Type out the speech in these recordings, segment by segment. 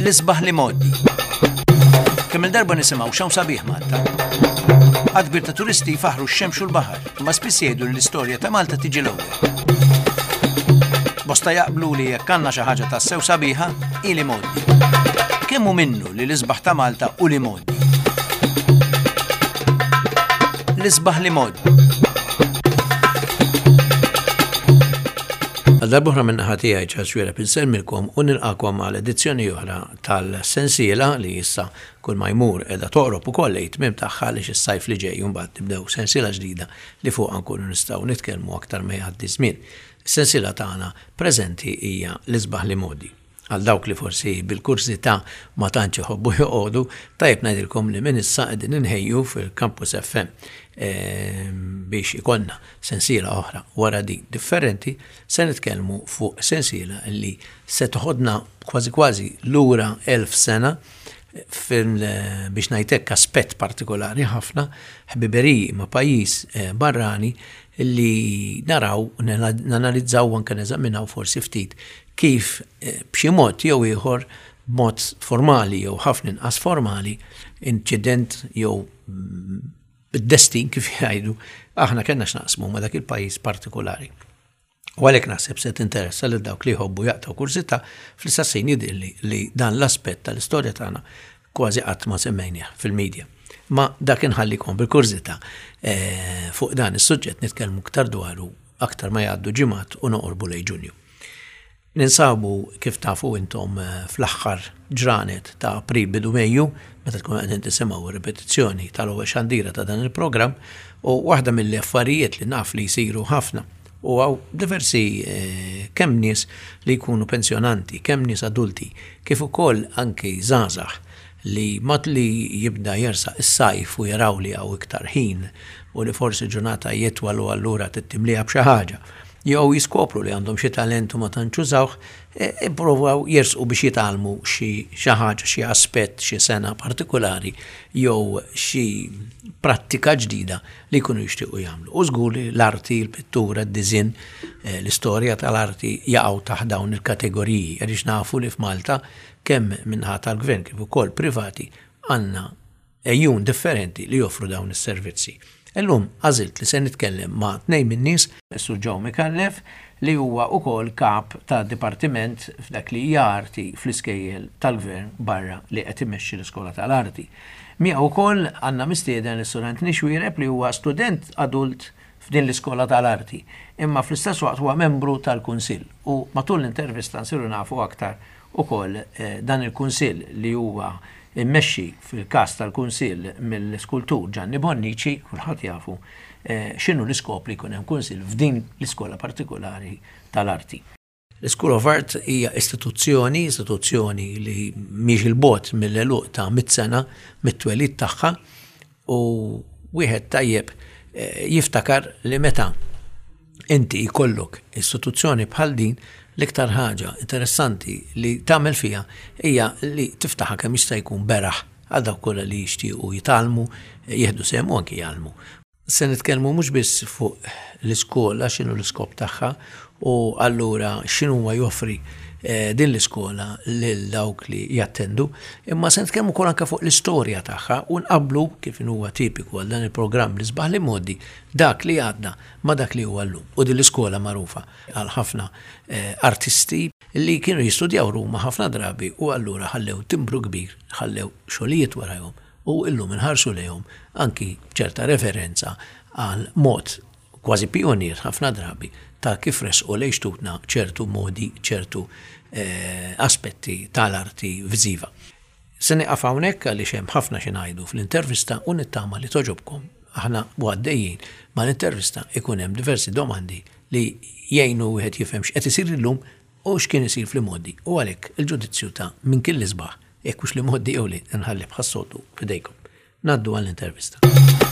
L-isbaħ li moddi. Kemm il-darba nisimgħu x'hawn sabiħ Malta. Għad kbir ta' turisti jfaħru x-xemx u l-baħar, imma spiss jgħidu li l-istorja ta' Malta tiġi l-ewwel. Bosta jaqblu li jekk għandna xi ħaġa tassew sabiħa, hi li moddi. Kemm hu minnu li l-isbaħ ta' Malta u li moddi? L-isbaħ li moddi. Għal darb'oħra minn naħa tiegħi Charles Xuereb insellmilkom u nilqakom għal edizzjoni oħra tal-sensiela li issa kull ma jmur qiegħda toqrob ukoll lejn it-tmiem tagħha għaliex is-sajf li ġej imbagħad nibdew sensiela ġdida li fuqha nkunu nistgħu nitkellmu aktar ma jgħaddi ż-żmien. Is-sensiela tagħna preżenti hija L-Isbaħ l-Imgħoddi. Għal dawk li forsi bil-kurżità ma tantx iħobbu joqogħdu, tajjeb ngħidilkom li minn issa qegħdin inħejju fil-Campus FM biex ikollna sensiela oħra wara din differenti, se nitkellmu fuq sensiela li se toħodna kważi kważi lura 1000 sena fil biex ngħid hekk aspett partikolari ħafna, ħbiberiji ma' pajjiż barrani li naraw, nanalizzaw u anke neżaminaw forsi ftit kif b'xi mod jew ieħor, b'mod formali jew ħafna inqas formali, inċident jew bid-destin kif jgħidu, aħna kellna x'naqsmu ma' dak il-pajjiż partikolari. U għalhekk naħseb se tinteressa lil dawk li jħobbu jaqtgħu kurżità, fl-istess ħin jidhirli li dan l-aspett tal-istorja tagħna kważi qatt ma semmejnieh fil-media. Ma dak inħallikom bil-kurżità eh, fuq dan is-suġġett nitkellmu aktar dwaru aktar ma jgħaddu ġimgħat u noqorbu lejn Ġunju. Ninsabu, kif tafu intom, fl-aħħar ġranet ta' April bidu Mejju, meta tkunu qegħdin tisimgħu r-ripetizzjoni tal-ewwel xandira ta' dan il-programm, u waħda mill-affarijiet li naf li jsiru ħafna u hawn diversi kemm nies li jkunu pensjonanti, kemm nies adulti, kif ukoll anki żgħażagħ li mat li jibda jersaq is-sajf u jaraw li hawn iktar ħin u li forsi ġurnata jitwal u allura trid timliha b'xi ħaġa. jew jiskopru li għandhom xi talent u ma tantx użawh, ipprovaw jersqu biex jitgħallmu xi xi ħaġa, xi aspett, xi sengħa partikulari jew xi prattika ġdida li jkunu jixtiequ jagħmlu. U żgur li l-arti, il-pittura, d-diżinn, l-istorja tal-arti jaqgħu taħt dawn il-kategoriji għaliex nafu li f'Malta kemm min-naħa tal-gvern kif ukoll privati għandna għejun differenti li joffru dawn is-servizzi. Illum għażilt li se nitkellem ma' tnejn min-nies, is-Sur Joe Micallef li huwa wkoll kap ta' dipartiment f'dak li hija arti fl-iskejjel tal-Gvern barra li qed imexxi l-Iskola tal-Arti. Miegħu wkoll għandna mistieden lis-Sur Anthony Xuereb li huwa student adult f'din l-Iskola tal-Arti imma fl-istess waqt huwa membru tal-Kunsill u matul l-intervista nsiru nafu aktar ukoll dan il-Kunsill li huwa mmexxi fil-każ tal-Kunsill mill-iskultur Gianni Bonnici, kulħadd jafu x'inhu l-iskop li jkun hemm kunsill f'din l-iskola partikolari tal-arti. L-School of Art hija istituzzjoni, istituzzjoni li mhix il-bogħod mill-għeluq ta' mitt sena mit-twelid tagħha u wieħed tajjeb jiftakar li meta inti jkollok istituzzjoni bħal din, l-iktar ħaġa interessanti li tagħmel fiha hija li tiftaħha kemm jista' jkun beraħ għal dawk kollha li jixtiequ jitgħallmu, jieħdu sehem u anki jgħallmu. Se nitkellmu mhux biss fuq l-iskola, x'inhu l-iskop tagħha u allura x'inhuwa joffri eh, din l-iskola lil dawk li jattendu, imma se nitkellmu wkoll anke fuq l-istorja tagħha u nqabblu kif huwa tipiku għal dan il-programm li sbaħ li modi dak li għadna ma' dak li huwa llum. U din l-iskola magħrufa għal ħafna artisti li kienu jistudjaw Ruma ħafna drabi u allura ħallew timbru kbir, ħallew xogħlijiet warajhom u llum inħarsu lejhom anki b'ċerta referenza għal mod kważi pijunier ħafna drabi ta' kif ressqu lejn xtutna ċertu modi, ċertu aspetti tal-arti viżiva. Se nieqaf hawnhekk għaliex hemm ħafna xi ngħidu fl-intervista u nittama li togħġobkom. Aħna u għaddejjin mal-intervista ikun hemm diversi domandi li jgħinu wieħed jifhem x'qed isir illum u x'kien isir fl-imgħoddi u għalhekk il-ġudizzju ta' min kien l-isbaħ jekk hux l-imgħoddi jew le nħallih bħas-soltu f'idejkom. Ngħaddu għall-intervista.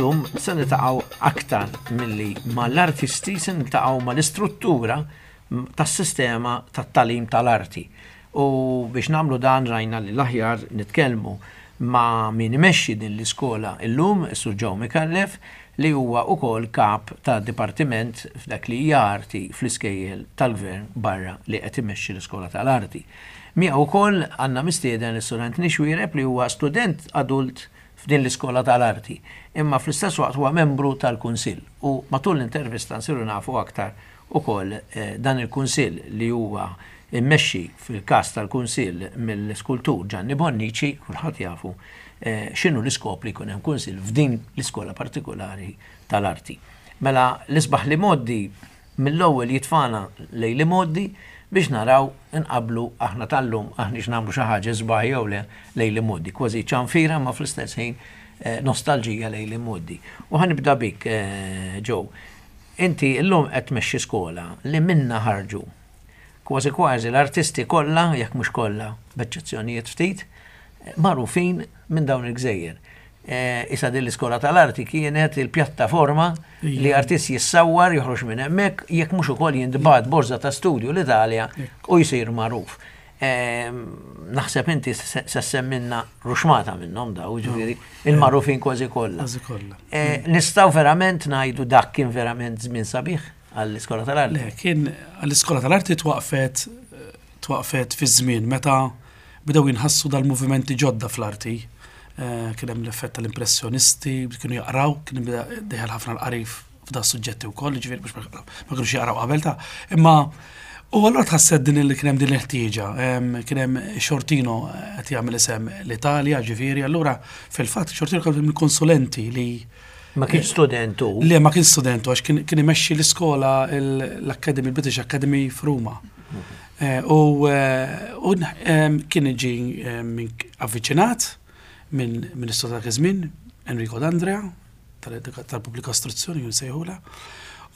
Illum se niltaqgħu aktar milli mal-artisti se niltaqgħu mal-istruttura tas-sistema tat-tagħlim tal-arti. U biex nagħmlu dan rajna li l-aħjar nitkellmu ma' min imexxi din l-iskola illum, is-Sur Joe Micallef, li huwa wkoll kap ta' dipartiment f'dak li hija arti fl-iskejjel tal-Gvern barra li qed imexxi l-iskola tal-arti. Miegħu wkoll għandna mistieden lis-Sur Anthony Xuereb li huwa student adult f'din l-iskola tal-arti, imma fl-istess waqt huwa membru tal-Kunsill u matul l-intervista nsiru nafu aktar ukoll dan il-Kunsill li huwa mmexxi fil-każ tal-Kunsill mill-iskultur Gianni Bonnici, kulħadd jafu x'inhu l-iskop li jkun hemm kunsill f'din l-iskola partikolari tal-arti. Mela l-isbaħ l-imgħoddi mill-ewwel jitfagħna lejn l-imgħoddi biex naraw inqabblu aħna tal-lum aħniex nagħmlu xi ħaġa isbaħ jew le lejn l-imgħoddi. Kważi ċanfira imma fl-istess ħin nostalġija lejn l-imgħoddi. U ħa nibda bik Joe. Inti llum qed tmexxi skola li minnha ħarġu kważi kważi l-artisti kollha, jekk mhux kollha, b'eċċezzjonijiet ftit, magħrufin minn dawn il-gżejjer. Isa din l-iskola tal-arti kienet il-pjattaforma li artist jissawwar joħroġ minn hemmhekk jekk mhux ukoll jintbagħat borża ta' studju l-Italja u jsir magħruf. Naħseb inti se semmilna ruxmata minnhom daw, ġifieri il-magħrufin kważi kollha. Kważi kollha. Nistgħu verament ngħidu dak kien verament żmien sabiħ għall-iskola tal-arti? Le, kien għall-iskola tal-arti twaqfet twaqfet fi żmien meta bdew jinħassu dal-movimenti ġodda fl-arti. Kien hemm l-effett tal-impressjonisti, kienu jaqraw, kien deħel ħafna l-qari f'da suġġetti wkoll, ġifieri mhux ma kinux jaqraw qabel ta' imma u allura tħasset din li kien hemm din il-ħtieġa, kien hemm Sciortino qed jagħmel isem l-Italja, ġifieri, allura fil-fatt Sciortino kien mill-konsulenti li Ma kienx student hu. Le, ma kienx student hu għax kien imexxi l-iskola l-Academy, British Academy f'Ruma. U kien ġie avviċinat minn Ministru ta' dak iż-żmien, Enrico D'Andrea, tal-Pubblika Istruzzjoni kien sejħula.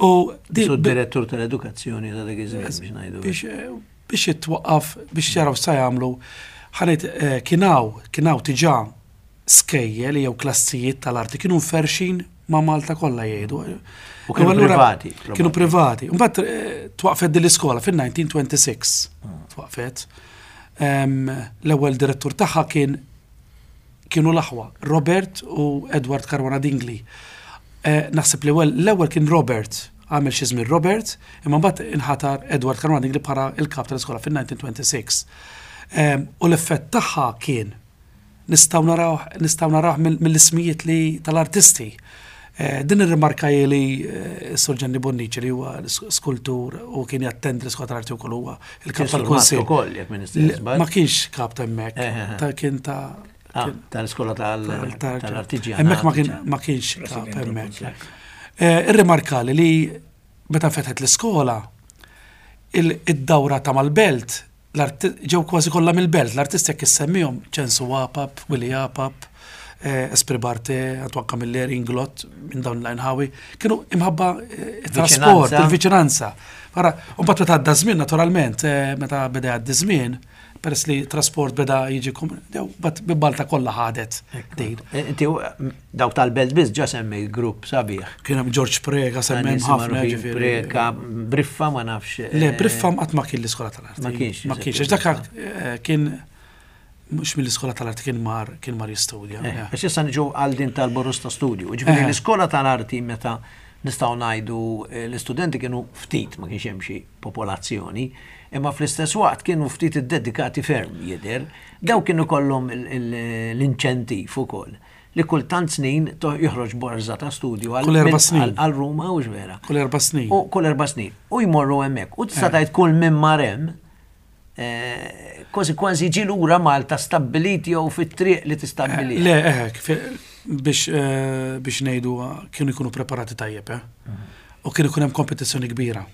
U direttur tal-edukazzjoni ta' dak iż-żmien biex ngħidu. Biex jitwaqqaf biex jaraw sa jagħmlu ħanet kien hawn kien hawn diġà skejjel jew klassijiet tal-arti kienu mferrxin ma' Malta kollha jgħidu. U kienu privati. Kienu privati. Mbagħad eh, twaqfet din l-iskola fin-1926. Hmm. Twaqfet. L-ewwel direttur tagħha kien kienu l-aħwa Robert u Edward Caruana Dingli. Eh, naħseb li l-ewwel kien Robert, għamel xi żmien Robert, imma mbagħad inħatar Edward Caruana Dingli bħala il-kap tal-iskola fin-1926. U l-effett tagħha kien Nistgħu narawh, nistgħu narawh mill-ismijiet li tal-artisti. Eh, din ir-rimarka li eh, Sur Gianni Bonnici li huwa skultur u kien jattendi l-iskola tal-arti wkoll huwa il-kap tal-kunsill. Ma kienx kap ta' hemmhekk, eh, ta' kien ta' ah, tal-iskola tal-artiġjana. Hemmhekk ma kienx kap hemmhekk. Irrimarka li meta fetħet l-iskola id-dawra ta' mal-belt Ġew kważi kollha mill-belt, l-artisti jekk issemmihom, Ċensu Apap, Willy Apap, Esprit Barthe, Antoine Camilleri, Inglott, minn dawn l-inħawi, kienu imħabba it-trasport, il-viċinanza. Ara, u mbagħad meta għadda żmien naturalment, meta beda jgħaddi żmien, peress li trasport beda jiġi bat Malta kollha ħadet din. Inti Dawk tal-belt biss ġa semmejt grupp sabiħ. Kien hemm George Preka semmejt ħafna ġifieri. Preka, Briffa ma nafx. Le, Briffa qatt ma kien l-iskola tal-arti. Ma kienx. Ma kienx, għax dak eh, kien mhux mill-iskola tal-arti kien mar kien mar jistudja. Eh, għax issa niġu għal din tal-borus ta' studju. Ġifieri eh. l-iskola tal-arti meta nistgħu ngħidu l-istudenti kienu ftit ma kienx hemm xi popolazzjoni, imma fl-istess waqt kienu ftit iddedikati ferm jidher. Daw kienu kollhom l-inċentiv ukoll li kull tant snin joħroġ borża ta' studju għal Kull erba' snin. għal Ruma hux vera. Kull erba' snin. U kull erba' snin. U jmorru hemmhekk. U tista' eh. tgħid kull min mar hemm eh, kważi kważi ġi lura Malta stabbilit jew fit-triq li tistabbilit. Eh, le, eh, biex biex ngħidu kienu jkunu preparati tajjeb, eh. Mhm. U kienu jkun hemm kompetizzjoni kbira.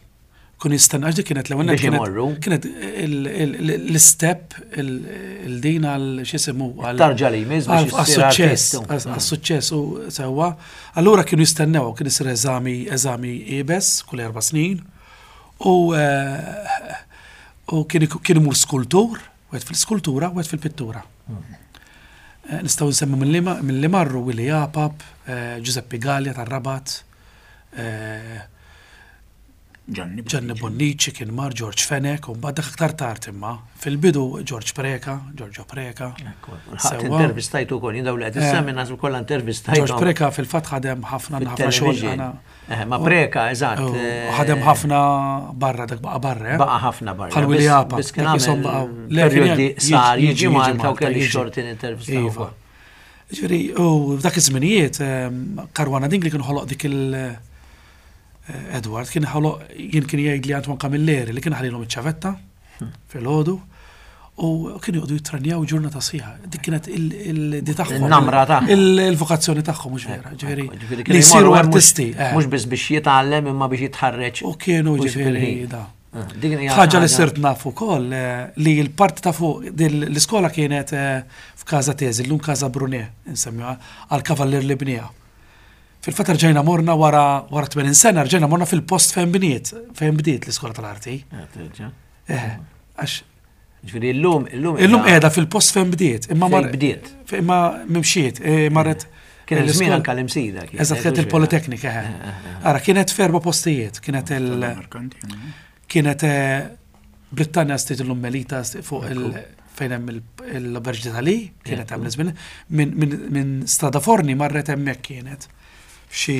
Kun jistenna, għax dik kienet l-ewwel nett. Biex imorru. Kienet l-istep il-din għal x'isimu għal. Tarġa li jmiss biex għas-suċċess. Għas-suċċess u sewwa. Allura kienu jistennew, kien isir eżami eżami iebes kull erba' snin. U eh, u kien imur skultur, wieħed fil-skultura, wieħed fil-pittura. Nistgħu nsemmu milli marru Willy Apap, Giuseppe Gallia tar-Rabat, Gianni Bonnici kien mar, George Fenech, u mbagħad dak aktar tard imma. Fil-bidu George Preca, Giorgio Preca. Intervistajtu wkoll, jien dawn li qed issemmi naħseb kollha intervistajtu. George Preca fil-fatt ħadem ħafna ħafna xogħol. Ma Preca, eżatt. Ħadem ħafna barra, dak baqa' barra. Baqa' ħafna barra. Bħal Willy Apap. Biss kien għamel sar jiġi Malta u kelli xorti nintervistaw. Iva. Ġifieri, u f'dak iż-żminijiet Caruana Dingli kien ħoloq dik il- Edward kien ħoloq jien kien jgħidli Antoine Camilleri li kien ħalilhom iċ-ċavetta filgħodu u kienu joqogħdu jittrenjaw ġurnata sħiħa. Dik kienet il-di tagħhom. Il-namra tagħhom. Il-vokazzjoni tagħhom mhux vera. Ġifieri li jsiru artisti. Mhux biss biex jitgħallem imma biex jitħarreġ. U kienu ġifieri da. Ħaġa li sirt naf ukoll li l-parti ta' fuq l-iskola kienet f'Każa Teżi, llum Casa Brunet insemmiha, għall-kavallier li bnieha. Fil-fatt rġajna morna wara wara 80 sena rġajna morna fil-post fejn bniet, fejn bdiet l-iskola tal-arti. Eh, għax Ġifieri llum illum Illum qiegħda fil-post fejn bdiet, imma mar bdiet. Imma mimxiet, eh, marret Kien żmien anke l-imsida. Eżatt kienet il-Politeknika. Eh. eh, Ara kienet f'erba' postijiet, kienet il kienet Brittanja Street illum Melita fuq il fejn hemm il-Verġni tal-Li, kienet hemm l-żmien, minn Strada Forni marret hemmhekk kienet. Xi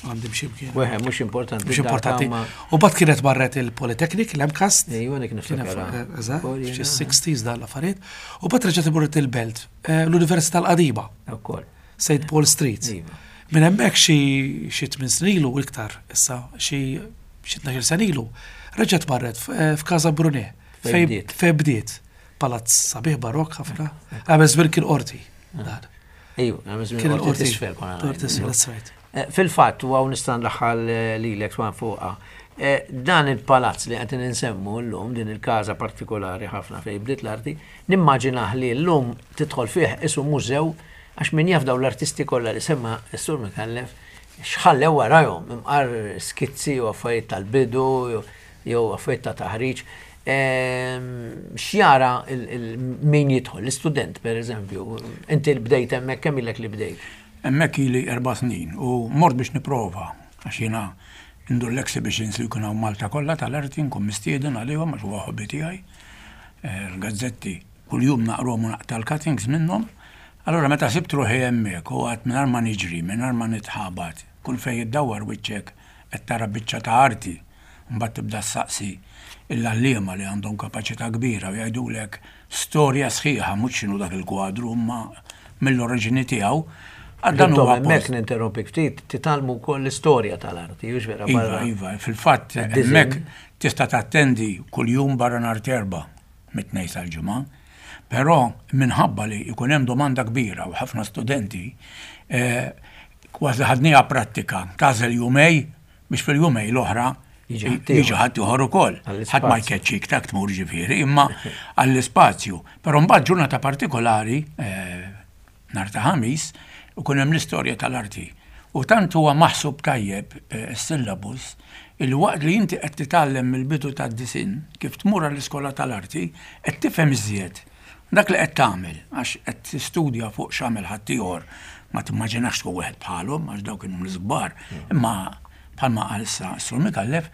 għandi xi kien. Weħe, mhux importanti. Mhux importanti. U bad kienet marret il-Polytechnic, l-MCAST. Ejwa, dik niftakar. Eżatt, xi 60s dan l-affarijiet. U bad reġgħet imurret il-belt, eh, l-Università l-Qadima. Ukoll. St. Paul Street. Iva. Minn hemmhekk xi xi tmien snin ilu iktar issa xi xi 12 sena ilu reġgħet marret eh, f'Każa Brunet fejn fejn bdiet palazz sabiħ barokk ħafna. Għamel żmien kien qorti. Ah. Ejju, għamel żmien qorti tisfel konna. Qorti tisfel, that's right. Eh, fil-fatt, u hawn nista' ndaħħal eh, lilek twan fuqha. Dan il-palazz li qed insemmu llum, din il-każa partikolari ħafna fejn bdiet l-arti, nimmaġinah li llum tidħol fih isu mużew Għax min jaf dawn l-artisti kollha li semma s-Sur Micallef x'ħallew warajhom, imqar skizzi u affarijiet tal-bidu jew affarijiet ta' taħriġ. Ehm, x'jara min jidħol, l-istudent pereżempju, inti li bdejt hemmhekk kemm ilek li bdejt? Hemmhekk ili erba' snin u mort biex nipprova għax jiena ndur l-exhibitions li jkun hawn Malta kollha tal-arti nkun mistieden għalihom għax huwa hobby tiegħi. Eh, l-gazzetti Kuljum naqrahom u naqta' l-cuttings minnhom. Allura meta sibt ruħi hemmhekk u għedt mingħajr ma niġri, mingħajr ma nitħabat, kull fejn iddawwar wiċċek qed tara biċċa ta' arti. Imbagħad tibda ssaqsi l-għalliema li għandhom kapaċità kbira u jgħidulek storja sħiħa mhux x'inhu dak il-kwadru imma mill-oriġini tiegħu. Għad dan huwa hemmhekk ninterrompik ftit, titgħallmu wkoll l-istorja tal-arti, hux vera? Iva, iva, fil-fatt hemmhekk tista' tattendi kuljum barra nhar t'Erbgħa. mit-Tnejn sal-Ġimgħa, però minħabba li jkun hemm domanda kbira u ħafna studenti, kważi ħadniha prattika, tagħżel jumej biex fil-jumej l-oħra jiġi ħadd ieħor ukoll. Ħadd ma jkeċċik tak tmur ġifieri, imma għall-ispazju. Però mbagħad ġurnata partikolari, Nhar ta' Ħamis ikun hemm l-istorja tal-arti u tant huwa maħsub tajjeb is-syllabus illi waqt li inti qed titgħallem mill-bidu tad-disinn kif tmur għall-iskola tal-arti qed tifhem iżjed dak li qed tagħmel għax qed tistudja fuq x'għamel ħaddieħor ma timmaġinax tkun wieħed bħalhom għax dawk kienu nies kbar imma Bħalma qal issa s-Sur Micallef,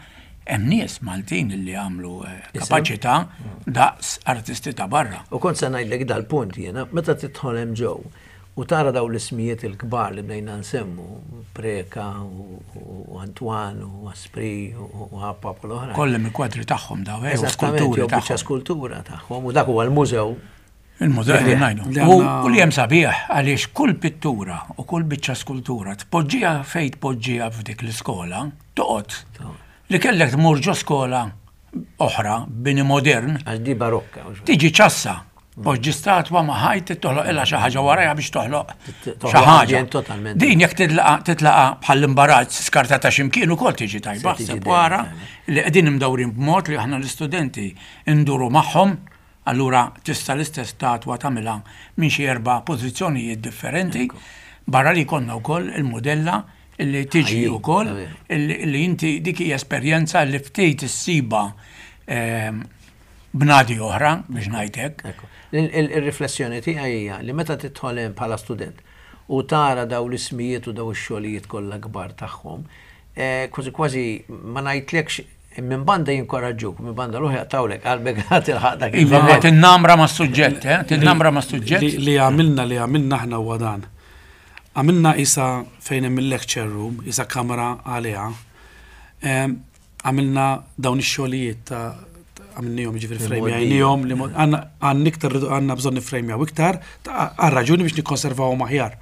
hemm nies Maltin li għamlu eh, kapaċità daqs artisti ta' barra. U kont se ngħidlek dal-punt jiena, meta tidħol hemm ġew u tara daw l-ismijiet il-kbar li bdejna nsemmu, Preka u Antoine u Aspri u Apap u l-oħra. Kollha il-kwadri tagħhom daw, eh, skulturi tagħhom. Skultura tagħhom u dak huwa l-mużew Il-mużew li ngħidu. U li hemm sabiħ għaliex kull pittura u kull biċċa skultura tpoġġiha fejn tpoġġiha f'dik l-iskola, toqgħod. Li kellek tmur ġo skola oħra, bini modern. Għax di barokka. Tiġi ċassa. Poġġi statwa ma ħajt toħloq ilha xi ħaġa warajha biex toħloq xi ħaġa. Din jekk titlaqa bħal imbarazz skarta ta' x'imkien ukoll tiġi tajba. Wara li qegħdin imdawrin b'mod li aħna l-istudenti nduru magħhom Allura tista' l-istess statwa tagħmilha minn xi erba' pożizzjonijiet differenti, barra li jkollna wkoll il-mudella li tiġi wkoll li inti dik hija esperjenza li ftit issibha ehm, bnadi oħra biex ngħid hekk. Ir-riflessjoni tiegħi hija li meta tidħol hemm bħala student u tara daw l-ismijiet u daw ix-xogħlijiet kollha kbar tagħhom, eh, kważi kważi ma ngħidlekx minn banda jinkoraġġuk, minn banda l-oħra jaqtawlek qalbek tilħaq dak Iva, ma tinnamra ma' suġġett, eh? Tinnamra ma' suġġett. Li għamilna li għamilna aħna huwa dan. Għamilna isa fejn hemm il-lecture room, isa kamra għaliha. Għamilna dawn ix-xogħlijiet ta' għamilnihom ġifieri frejmjajnihom li għandna iktar għandna bżonn nifrejmjaw iktar għal raġuni biex nikkonservawhom aħjar.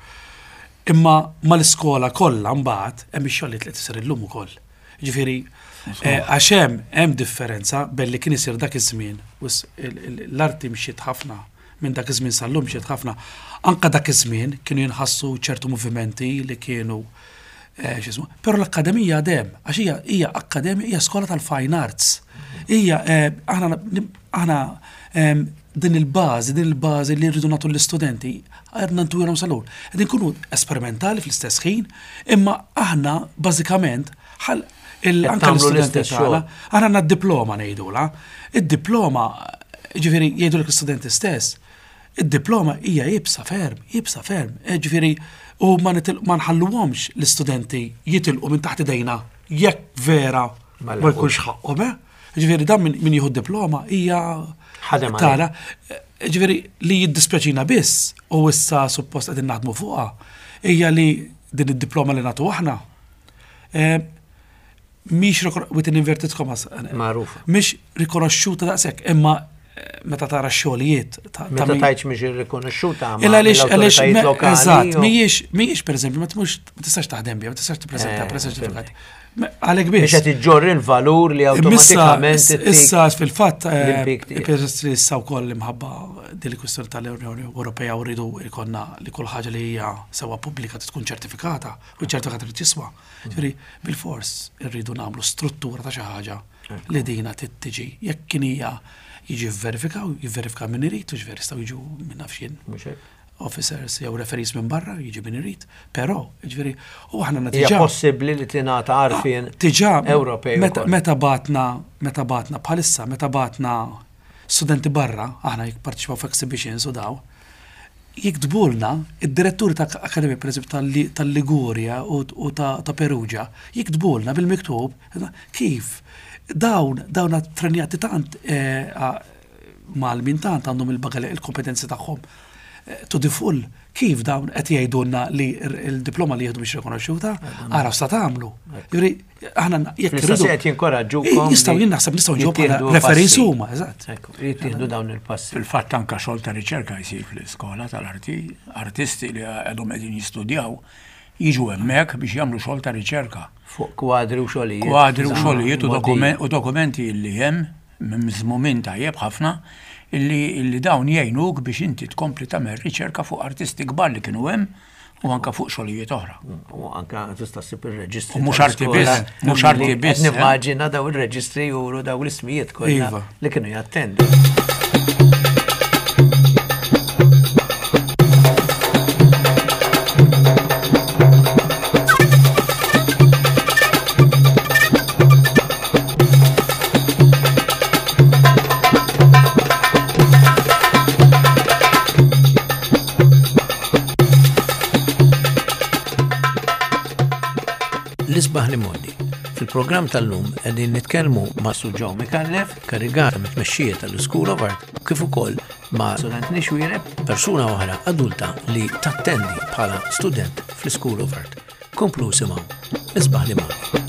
Imma mal-iskola kollha mbagħad hemm ix-xogħlijiet li tisir illum ukoll. Ġifieri eh, għax hemm hemm differenza belli kien isir dak iż-żmien l-arti mxiet ħafna minn dak iż-żmien sal-lum mxiet ħafna. Anka dak iż-żmien kienu jinħassu ċertu movimenti li kienu eh, x'ismu. Però l-akkademija għadhem, għax hija hija akkademija hija skola tal-fine arts. Hija eh, aħna aħna ehm, din il-bażi, din il-bażi li rridu nagħtu l-istudenti, għadna ntuhom salur. Qegħdin nkunu esperimentali fl-istess ħin, imma aħna bażikament ħal anke l-istudenti tagħna, aħna għandna d-diploma ngħidula. Id-diploma, ġifieri jgħidu l-istudenti stess, id-diploma hija jibsa ferm, jibsa ferm. Eh, ġifieri u ma nħalluhomx l-istudenti jitilqu minn taħt idejna jekk vera ma jkunx ħaqqhom, eh? Ġifieri dan min jieħu diploma hija tara. Ġifieri li jiddispjaċina biss u issa suppost qegħdin naħdmu fuqha hija li din id-diploma li nagħtu aħna eh, mhix with an inverted commas. Eh, Magħrufa. Mhix rikonoxxuta daqshekk, imma eh, meta tara x-xogħlijiet ta' Meta tgħidx mhix irrikonoxxuta ma' l-awtoritajiet lokali. Eżatt, mhijiex mhijiex pereżempju ma tmux ma tistax taħdem biha, ma tistax tippreżenta eh, ċertifikat. Għalhekk biss. Biex qed iġġorr il-valur li awtomatikament. Issa fil-fatt peress li issa wkoll imħabba din il-kwistjoni tal-Unjoni Ewropea u rridu jkollna li kull ħaġa li hija sewa pubblika tkun ċertifikata u ċertifikata trid tiswa. Ġifieri bilfors irridu nagħmlu struttura ta' xi ħaġa li dina tiġi jekk kien hija jiġi vverifikaw, jivverifika min irid, u ġifieri jistgħu jiġu minn nafx jien. Officers jew referees minn barra, jiġi min irid, però, ġifieri, u aħna għandna diġà. Hija possibbli li tingħata għarfien diġà Ewropej. Meta bagħtna, meta bagħtna bħalissa, meta bagħtna studenti barra, aħna jipparteċipaw f'exhibitions u daw, jiktbulna id-diretturi ta' akademija, pereżempju tal-Liguria u ta' Perugia, jiktbulna bil-miktub kif dawn dawn trenjati tant eh, mgħallmin tant għandhom il-bagalja il-kompetenzi tagħhom eh, to the full kif dawn qed jgħidulna li l-diploma li jieħdu biex rikonoxxuta, ara sa tagħmlu. Jiġri aħna jekk irridu qed jinkoraġġukom. Jistgħu jien naħseb nistgħu ġew bħala referees huma, eżatt. Jittieħdu dawn il-passi. Fil-fatt anke xogħol ta' riċerka jsir fl-iskola tal-arti, artisti li għadhom qegħdin jistudjaw jiġu hemmhekk biex jagħmlu xogħol ta' riċerka. Fuq kwadri u xogħlijiet. Kwadri u xogħlijiet u dokumenti li hemm miżmumin tajjeb ħafna illi illi dawn jgħinuk biex inti tkompli tagħmel riċerka fuq artisti kbar li kienu hemm u anke fuq xogħlijiet oħra. U anke tista' ssib ir-reġistri. U mhux arti biss, mhux arti biss. Eh? Nimmaġina daw ir-reġistri juru daw l-ismijiet kollha iva. li kienu jattendu. L-isbaħ li modi. Fil-programm tal-lum qegħdin nitkellmu ma' Sur Joe Micallef, karigata mit-tmexxija tal-School of Art, kif ukoll ma' Sur Anthony Xuereb, persuna oħra adulta li tattendi bħala student fl-School of Art. Komplu simgħu Isbaħ li Malti.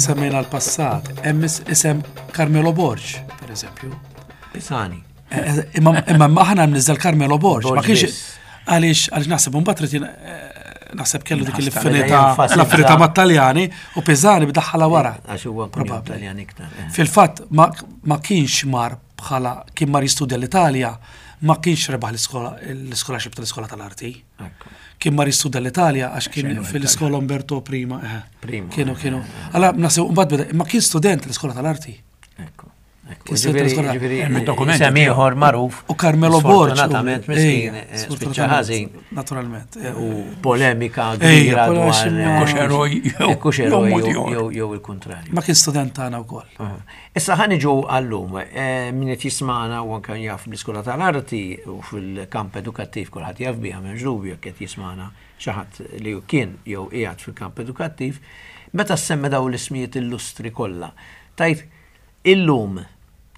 Semmejna l-passat, hemm isem Carmelo Borg, per eżempju. Pisani. Eh, eh, imma imma aħna nniżel Carmelo Borg, ma kienx għaliex għaliex naħseb imbagħad trid eh, naħseb kellu dik l-affinità l-affinità mat-Taljani u Pisani bdaħħala wara. Għax huwa probabbli Taljan iktar. Fil-fatt ma kienx mar bħala kien mar jistudja l-Italja. Ma kienx rebaħ l-iskolarship tal-iskola tal-arti. Kien mar jistudja l-Italja għax kien fil-iskola Umberto Prima. Eh. Kienu, kienu. Għala, nasew, mbagħad beda, ma kien student l-iskola tal-arti. Ekku. Isem ieħor magħruf. U Carmelo Borg. Sfortunatament miskin, eh, spiċċa ħażin. Naturalment. Eh. U polemika kbira dwar Kux eroj jew eroj jew il-kontrarju. Ma kien student tagħna wkoll. Issa ħa niġu għallum, eh, min qed jismana u anke jaf bl-iskola tal-arti u fil-kamp edukattiv kulħadd jaf biha m'hemmx dubju jekk qed jismana xi ħadd li kien jew qiegħed fil-kamp edukattiv, meta ssemmi dawn l-ismijiet illustri kollha, tajt illum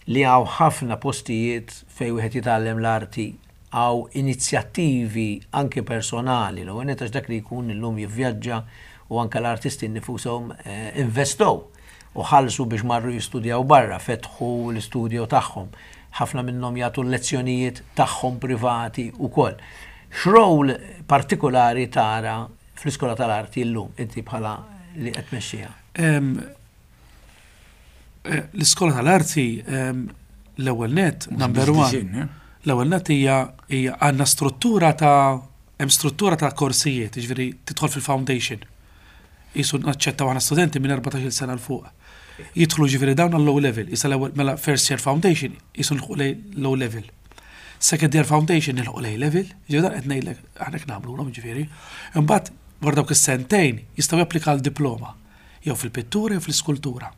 li hawn ħafna postijiet fejn wieħed jitgħallem l-arti, hawn inizjattivi anke personali, l-ewwel nett għax dak li jkun illum jivvjaġġa u anke l-artisti nnifushom eh, investow u ħallsu biex marru jistudjaw barra, fetħu l-istudjo tagħhom. Ħafna minnhom jagħtu l-lezzjonijiet tagħhom privati wkoll. X'rol partikolari tara fl-Iskola tal-Arti llum inti bħala li qed tmexxiha? Eh, l-Iskola tal-Arti l-ewwel net, number one. Eh? L-ewwel net hija għandna struttura ta' hemm struttura ta' korsijiet, jiġifieri tidħol fil-foundation. Qisu naċċettaw aħna studenti minn 14-il sena 'l fuq. Jidħlu ġifieri dawn għal low level, issa l-ewwel mela first year foundation qisu nilħqu low level. Second year foundation nilħqu l-A level, ġifieri dan qed ngħidlek aħna hekk nagħmluhom ġifieri. Imbagħad wara dawk is-sentejn jistgħu japplika għal diploma jew fil-pittura jew fl-iskultura.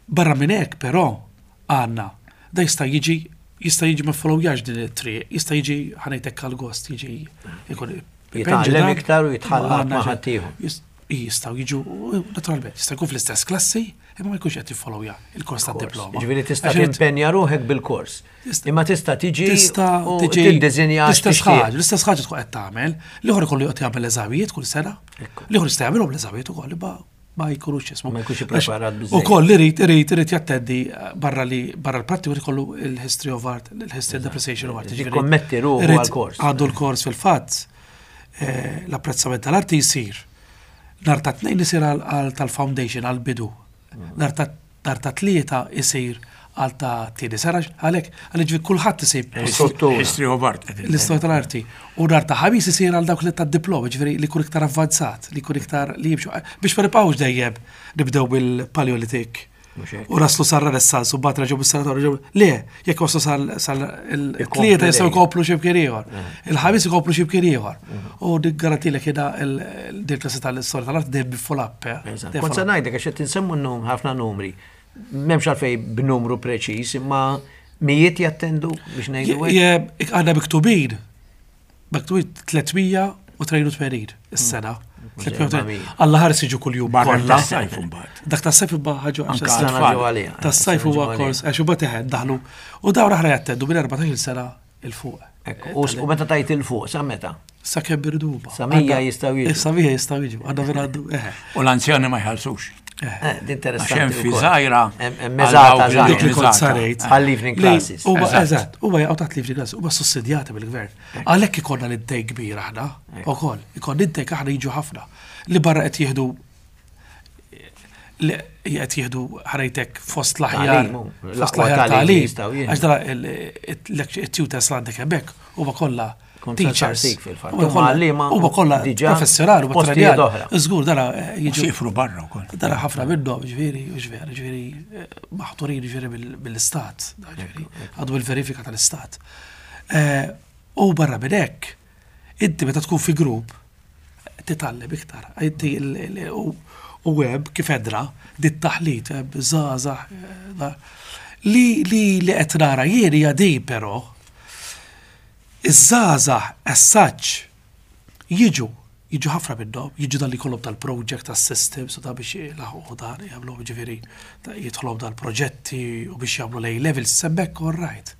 Barra minn hekk però għandna da jista' jiġi jista' jiġi ma followjax din it-triq, jista' jiġi ħanejtek għal gost jiġi jkun Jitgħallem iktar u jitħallat ma' ħaddieħor. Jistgħu jiġu, naturalment, jista' jkun fl-istess klassi, imma ma jkunx qed jiffollowja il-kors tad-diploma. Ġifieri tista' timpenja ruħek bil-kors. Imma tista' tiġi u tiddiżinja l-istess ħaġa, l-istess ħaġa tkun qed tagħmel, l-ieħor ikollu joqgħod jagħmel eżamijiet kull sena, l-ieħor jista' jagħmilhom l-eżamijiet ukoll, imma ma jkunux jismu. Ma jkunx ippreparat biżżejjed. Ukoll irid irid irid jattendi eh, barra li barra l-prattiku irid ikollu il-history of art, il-history and appreciation of art. Jikkommetti ruħu għall-kors. Għandu l-kors fil-fatt, eh, l-apprezzament tal-arti jsir. Nar ta' tnejn isir għal tal-foundation għal-bidu. Mm. Nar ta' Nhar ta' Tlieta isir għal ta' tieni sena, għalhekk għaliex ġifieri kulħadd isib History of Art. L-istorja tal-arti. U nhar ta' Ħamis isir għal dawk li tad-diploma, ġifieri li jkun iktar avvanzat, li jkun iktar li jimxu. Biex ma nibqgħux dejjem nibdew bil-Paleolitik u naslu sar-Renaissance u mbagħad reġgħu bis-sena reġgħu. Le, jekk waslu sal-tlieta jistgħu jkoplu xi mkien ieħor. Il-Ħamis ikoplu xi mkien ieħor. U niggarantilek jiena din klassi tal-istorja tal-art dejjem full up. Eh. Kont se ngħidlek għax qed insemmu n-num ħafna numri. M'hemmx għalfejn b'numru preċiż, imma mijiet jattendu biex ngħidu. Għandna miktubin Maktubin 382 is-sena. Alla ħares jiġu kuljum. Barra tas-sajf imbagħad. Dak tas-sajf imma ħaġa Tas-sajf huwa kors għax imbagħad eħed daħlu. U dawn aħna jattendu minn 14-il sena 'il fuq. U meta tajt 'il fuq, sa meta? Sa kemm iridu. Sa 100 jistgħu jiġu. Sa 100 jistgħu jiġu. Għandna vera għandu. U l-anzjani ma jħallsux. Eh, Interessanti. Għax fi żgħira. Meżata żgħira. Dik li kont sarejt. Għall-evening classes. Huwa eżatt, huwa jaqgħu taħt l-evening classes, huma sussidjati mill-gvern. Għalhekk ikollna l-intake kbir aħna, ukoll. Ikollna intake aħna jiġu ħafna. Li barra qed jieħdu li qed jieħdu ħarejtek fost l-aħjar. Fost l-aħjar tagħlim. Għax dara it-tutors li għandek hemmhekk huma kollha teachers. Huma kollha professjonali u postijiet oħra. Żgur dara eh, jiġu. Sifru barra wkoll. Dara ħafna minnhom ġifieri, ġifieri, ġifieri eh, maħturin ġifieri mill-istat, ġifieri għadu il-verifika tal-istat. Eh, u barra minn hekk, inti meta tkun fi grupp titgħallem iktar. Inti u web kif edra, dit taħlit, żgħażagħ li li li qed nara jien hija din però Iż-żgħażagħ as such jiġu, jiġu ħafna minnhom, jiġu dan li jkollhom tal-project tas-systems u ta' biex jilaħqu dan jagħmlu ġifieri jidħolhom dal-proġetti u biex jagħmlu l-A levels, hemmhekk all right.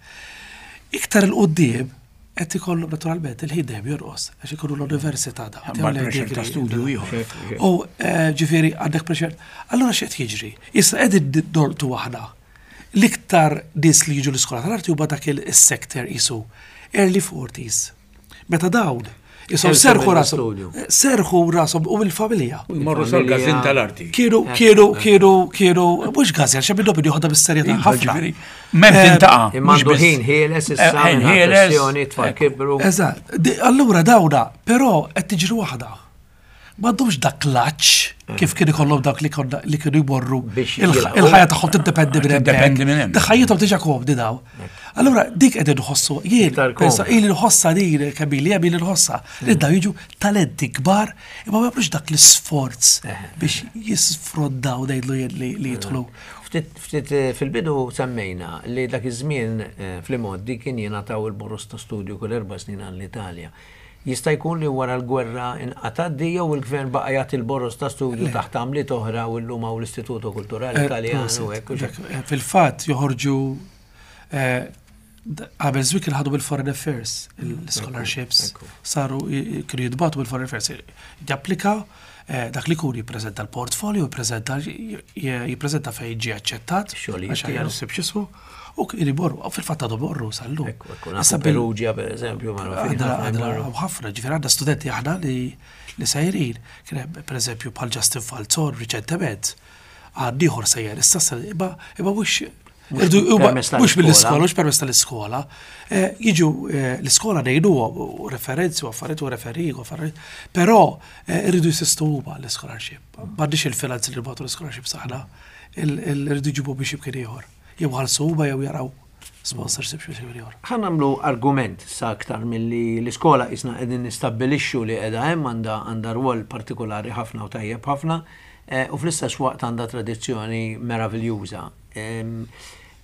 Iktar 'il quddiem qed ikollhom naturalment il-ħin dejjem jonqos għax ikunu l-università da. Pressure ta' studju ieħor. U eh, ġifieri għandek pressure. Allura x'qed jiġri? Issa qegħdin nolqtu aħna L-iktar nies li jiġu l-iskola tal-arti huma dak is-sector qisu early forties. Meta dawn Jisom serħu rashom. Serħu rashom u il-familja. U jmorru sal-gazin tal-arti. Kienu, kienu, kienu, kienu, mhux gazin, xa minnhom joħodha bis-serjetà Iva, ħafna. Mem tintaqa. Imma għandu ħin ħieles issa. Eh, ħin ħieles. Tfal kibru. Eżatt. Allura dawna, però qed tiġri waħda. M'għandhomx dak l-għatx kif kien ikollhom dak li konna li kienu jmorru il-ħajja tagħhom tiddependi minn hemmhekk. Tiddependi minn hemm. Ħajjithom diġà komdi daw. Allura dik qegħdin nħossu jien pensa ili nħossha din kemm ili hemm ili nħossha li daw jiġu talenti kbar imma ma jagħmlux dak l-isforz biex jisfroddaw ngħidlu jien li jidħlu. Ftit fil-bidu semmejna li dak iż-żmien fl-imgħoddi kien jingħataw il-boros ta' studju kull erba' snin għall-Italja. Jista' jkun li wara l-gwerra inqatgħet di jew il-Gvern baqa' jagħti l-boroż ta' studju taħt għamliet oħra u llum hawn l-Istituto Culturale Italiano u hekk u x'hekk. Fil-fatt joħorġu qabel żmien kienu ħadu mill-Foreign Affairs l-scholarships saru kienu jintbagħtu mill-Foreign Affairs. Japplika dak li jkun jippreżenta l-portfolio, jippreżenta jippreżenta fejn ġie aċċettat, għax aħjar issib x'ismu. U kien imorru, u fil-fatt għadhom imorru sal-lum. Ekku, ekku, nafu Perugia, per eżempju, ma Għadna ħafna, ġifieri għandna studenti aħna li li sejrin. Kien hemm, per eżempju, bħal Justin Falzon riċentement, għad ieħor sejjer issa, imma imma mhux mhux mill-iskola, mhux permezz tal-iskola. Eh, jiġu eh, l-iskola ngħinuhom u referenzi u affarijiet u referiji u affarijiet, però eh, irridu jsistu huma l-scholarship. M'għandix il-finanzi li nibgħatu l-scholarship saħna, irridu jġibu biex jibkien ieħor. Jew ħallsu huma jew jaraw sponsorship xi xi ieħor. Ħa nagħmlu argument sa aktar milli l-iskola qisna qegħdin nistabbilixxu li qiegħda hemm għandha għandha rwol partikulari ħafna u tajjeb ħafna u fl-istess waqt għandha tradizzjoni meraviljuża.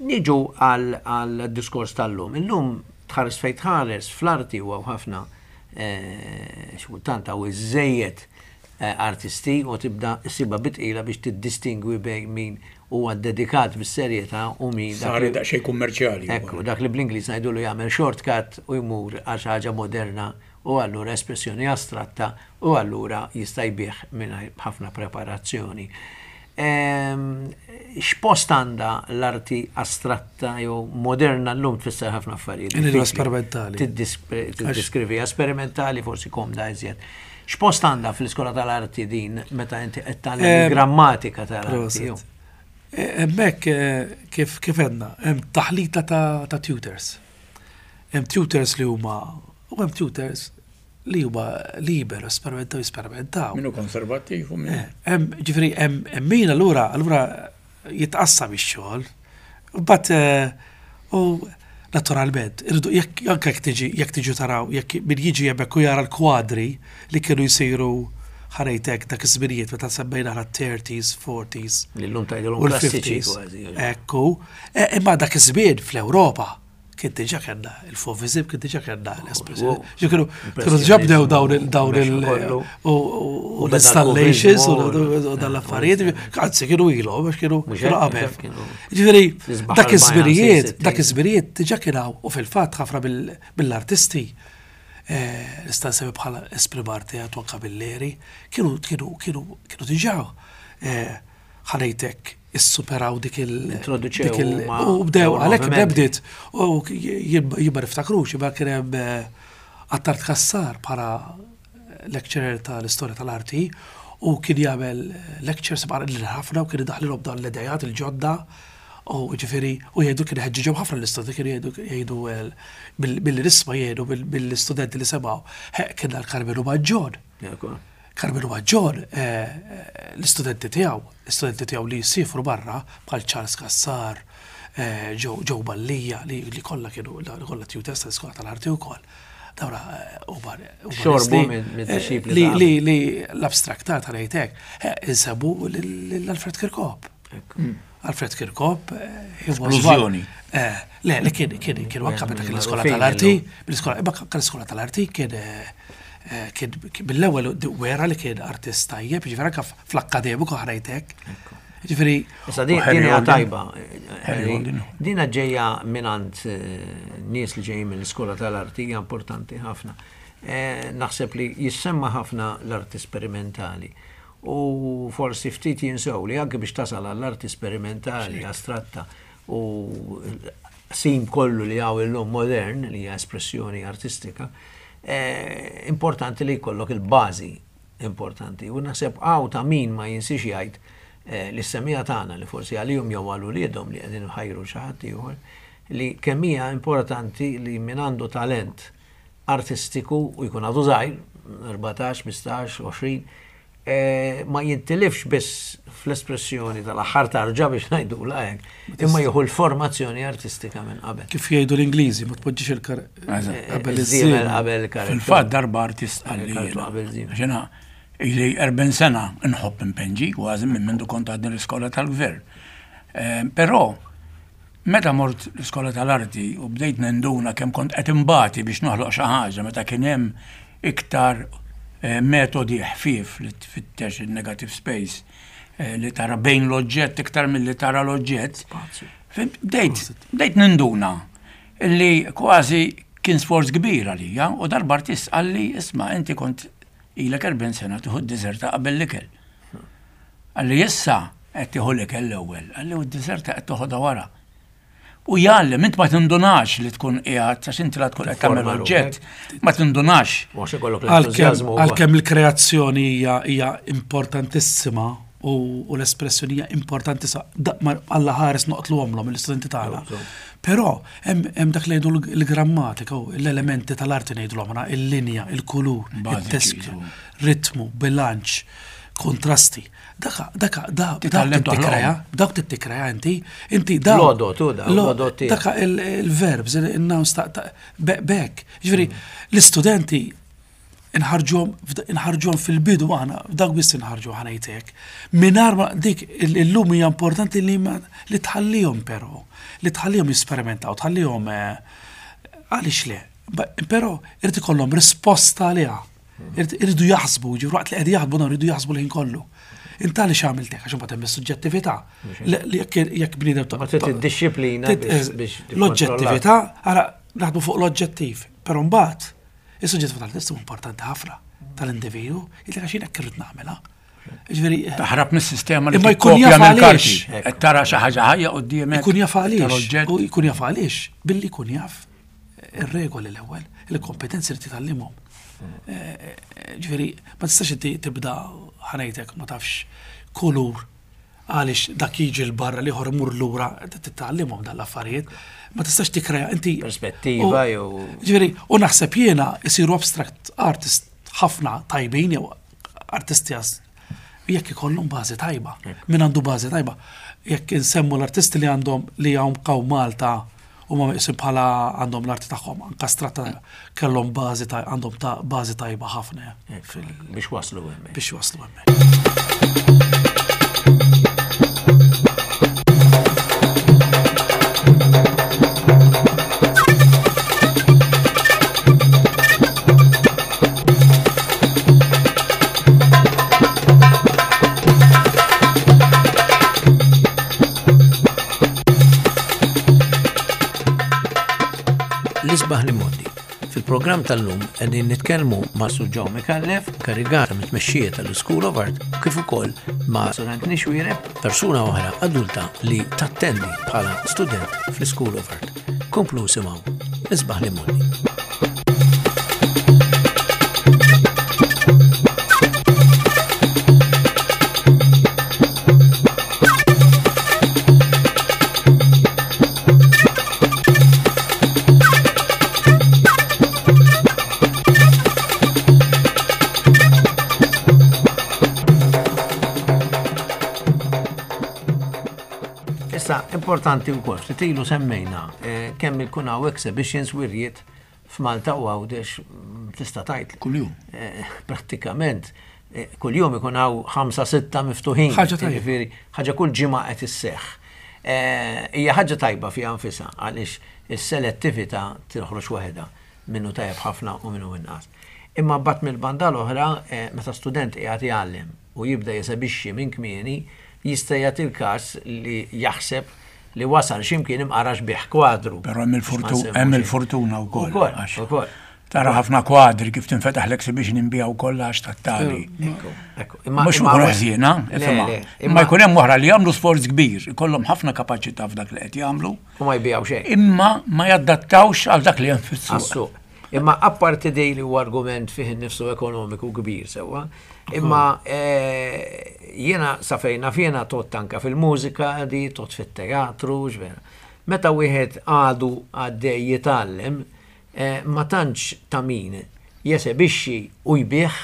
Niġu għal diskors tal-lum. Illum tħares fejn tħares fl-arti huwa ħafna xi kultant hawn iżżejjed artisti u tibda ssibha bi tqila biex tiddistingwi bejn min huwa ddedikat bis-serjetà u min dak li. Sar daqsxejn kummerċjali. Ekku, dak li bl-Ingliż ngħidulu jagħmel shortcut u jmur għal xi ħaġa moderna u allura espressjoni astratta u allura jista' jbigħ mingħajr ħafna preparazzjoni. X'post għandha l-arti astratta jew moderna llum tfisser ħafna affarijiet. Ngħidu sperimentali. Tiddeskriviha sperimentali forsi komda iżjed. X'post għandha fl-iskola tal-arti din meta inti qed tgħallem eh, il-grammatika tal-arti? Eh, hemmhekk eh, kif kif għedna, hemm taħlita ta' tutors. Hemm tutors li huma u hemm tutors li huma liberu, esperimentaw, esperimentaw. Minnu konservattiv u minnu. Hemm ġifieri hemm min allura allura jitqassam ix-xogħol. Mbagħad u naturalment, irridu jekk anke jekk tiġi jekk tiġu taraw jekk min jiġi hemmhekk u jara l-kwadri li kienu jsiru ħarejtek dak iż-żminijiet meta semmejna aħna t-thirties, forties. Li llum tgħidilhom klassiċi kważi. Ekku. Imma dak iż-żmien fl-Ewropa kien diġà kellna il-Fauvism, kien diġà kellna l-Espressionism. Kienu kienu diġà bdew dawn dawn il u l-installations u dan l-affarijiet, anzi kienu ilhom għax kienu qabel. Ġifieri dak iż-żminijiet, dak iż-żminijiet diġà kien hawn u fil-fatt ħafna mill-artisti eh, nista' nsemmi bħala Esprimarte Antoine Camilleri, kienu kienu kienu kienu diġà eh, ħa ngħid hekk issuperaw dik il. Introduċew huma. U bdew għalhekk bdiet u jien ma niftakrux imma kien hemm eh, Attard Cassar bħala lecturer tal-istorja tal-arti u kien jagħmel eh, lectures lil ħafna u kien idaħlilhom dawn l-idejat il-ġodda u ġifieri u jgħidu kien ħeġġiġhom ħafna l-istudenti kienu jgħidu jgħidu eh, billi nisma' jgħidu mill-istudenti li semgħu kien l-Karmenu Maġġor. Karmenu Maġġor, l-istudenti tiegħu, l-istudenti tiegħu li jsiefru barra bħal Charles Cassar, Joe Mallia li kollha kienu kollha tutors tal-Iskola tal-Arti wkoll. Dawra huma Xorbu mid-dixxipli li li l-abstract art ngħid hekk, insemmu lil Alfred Kirkop. Alfred Kirkop, he was one. Le, li kien kien kien anke meta kien l-iskola tal-arti, mill-iskola imma anke l-iskola tal-arti kien kien mill-ewwel wera li kien artist tajjeb, jiġifieri anke fl-akkademiku ħa ngħid hekk. Jiġifieri. Issa din hija tajba. Dina ġejja mingħand nies li ġejjin mill-iskola tal-arti hija importanti ħafna. Naħseb li jissemma ħafna l-arti sperimentali. U forsi ftit jinsew li anke biex tasal għall-arti sperimentali, astratta u sim kollu li hawn illum modern, li hija espressjoni artistika, Importanti li jkollok il-bażi importanti. U naħseb hawn ta' min ma jinsiex jgħid lis-semmiegħa tagħna li forsi għalihom jew għal uliedhom li qegħdin iħajru xi ħadd ieħor li kemm hija importanti li min għandu talent artistiku u jkun għadu żgħir, 14, 15, 20, ma jintilifx biss fl-espressjoni tal-aħħar tarġa biex ngħidulha hekk, imma jieħu l-formazzjoni artistika minn qabel. Kif jgħidu l-Ingliżi, ma tpoġġix il-kar qabel iż-żiemel qabel il-kar. Fil-fatt darba artist qalli jiena, ili 40 sena nħobb inpenġi kważi minn mindu kont għadni l-iskola tal-gvern. Però meta mort l-iskola tal-arti u bdejt ninduna kemm kont qed inbati biex noħloq xi ħaġa meta kien hemm iktar metodi ħfief li tfittex il-negative space li tara bejn l-oġġett iktar milli tara l-oġġett. Bdejt, bdejt ninduna li kważi kien sforz kbir għalija u darba artist qalli isma' inti kont ilek 40 sena tieħu d-diżerta qabel l-ikel. Qalli issa qed tieħu l-ikel l-ewwel, qalli u d-diżerta qed toħodha wara. U jgħallem, int ma tindunax li tkun qiegħed, għax inti la tkun qed tagħmel oġġett, ma tindunax. Għalkemm il-kreazzjoni hija importantissima u l-espressjoni hija importantissima, Alla ħares noqtluhomlhom l-istudenti tagħna. Però hemm dak li jgħidu l-grammatika u l-elementi tal-arti ngħidulhom aħna, il-linja, il-kulur, il-teskju, ritmu, bilanċ, kontrasti. Daka, daka, da, Titgħallem dawk toħloqhom. tikkrea, dawk tittikrea inti, inti da. L-għodod, u da, l-għodod tiegħek. Daka il-verbs, il-nouns ta' ta' bekk. Ġifieri, l-istudenti inħarġuhom inħarġuhom fil-bidu aħna, dawk biss inħarġu ħa ngħid hekk. Mingħajr ma dik illum hija importanti li ma li tħallihom però, li tħallihom jesperimentaw, tħallihom eh, għaliex le. Però irid ikollhom risposta għaliha. Irridu jaħsbu, ġifieri waqt li qed jaħdmu dawn iridu jaħsbu l-ħin kollu. Int għaliex għamilt hekk għax imbagħad hemm is-suġġettività. Jekk bniedem Ma trid id-dixxiplina biex L-oġġettività, ara naħdmu fuq l-oġġettiv, però mbagħad is-suġġettività tal-artist importanti ħafna tal-individwu, jgħidlek għax jien hekk irrid nagħmilha. Ġifieri Taħrab mis-sistema li Imma jkun tikkopja jaf mill-karti. għaliex. Qed tara xi ħaġa ħajja quddiemek. Ikun jaf għaliex. tal-oġġett. U jkun jaf għaliex billi jkun jaf ir-regoli l-ewwel, il-kompetenzi li titgħallimhom. Eh, eh, ġifieri, ma tistax inti tibda ħanejtek ma tafx kulur għaliex dak jiġi l-barra li ieħor imur lura titgħallimhom dan l-affarijiet. Ma tistax tikkrea inti Perspettiva jew Ġifieri, u naħseb jiena isiru abstract artist ħafna tajbin jew artisti jekk ikollhom bażi tajba. Min għandu bażi tajba. Jekk insemmu l-artisti li għandhom li hawn kaw Malta u ma meqsim bħala għandhom l-arti tagħhom anka stratta kellhom bażi taj għandhom ta' bażi tajba ħafna biex waslu hemmhekk. Biex waslu hemmhekk. L-isbaħ li modi. Fil-programm tal-lum qegħdin nitkellmu ma' Sur Joe Micallef, karigata mit-tmexxija tal-School of Art, kif ukoll ma' Sur Anthony Xuereb, persuna oħra adulta li tattendi bħala student fl-School of Art. Komplu simgħu l-isbaħ li modi. Issa, importanti wkoll, ftit ilu semmejna eh, kemm ikun hawn exhibitions wirjiet f'Malta u Għawdex mm, tista' tgħid. Kuljum. Eh, prattikament eh, kuljum ikun hawn ħamsa sitta miftuħin. Ħaġa tajba. Jiġifieri, ħaġa kull ġimgħa qed isseħħ. Hija ħaġa tajba fiha nfisha għaliex is-selettività toħroġ waħedha minnu tajjeb ħafna u minnu inqas. Imma mbagħad mill-banda l-oħra, meta student qiegħed jgħallem u jibda jesebixxi minn kmieni, jista' jagħti l-każ li jaħseb li wasal xi mkien imqarax bih kwadru. Però hemm il-fortuna wkoll. Ukoll, ukoll. Tara ħafna kwadri kif tinfetaħ l-exhibition inbijaw kollha għax tat-tali. Mhux ukoll ħżiena, imma jkun hemm oħra li jagħmlu sforz kbir, ikollhom ħafna kapaċità f'dak li qed jagħmlu. U ma jbijaw xejn. Imma ma jadattawx għal dak li hemm fis-suq. Imma apparti dej li huwa argument fih innifsu ekonomiku kbir sewwa, imma eh, jiena sa fejn naf jiena tot anka fil-mużika di, tot fit-teatru, ġvera. Meta wieħed għadu għaddej jitgħallem, eh, ma tantx ta' min jesebixxi u jbigħ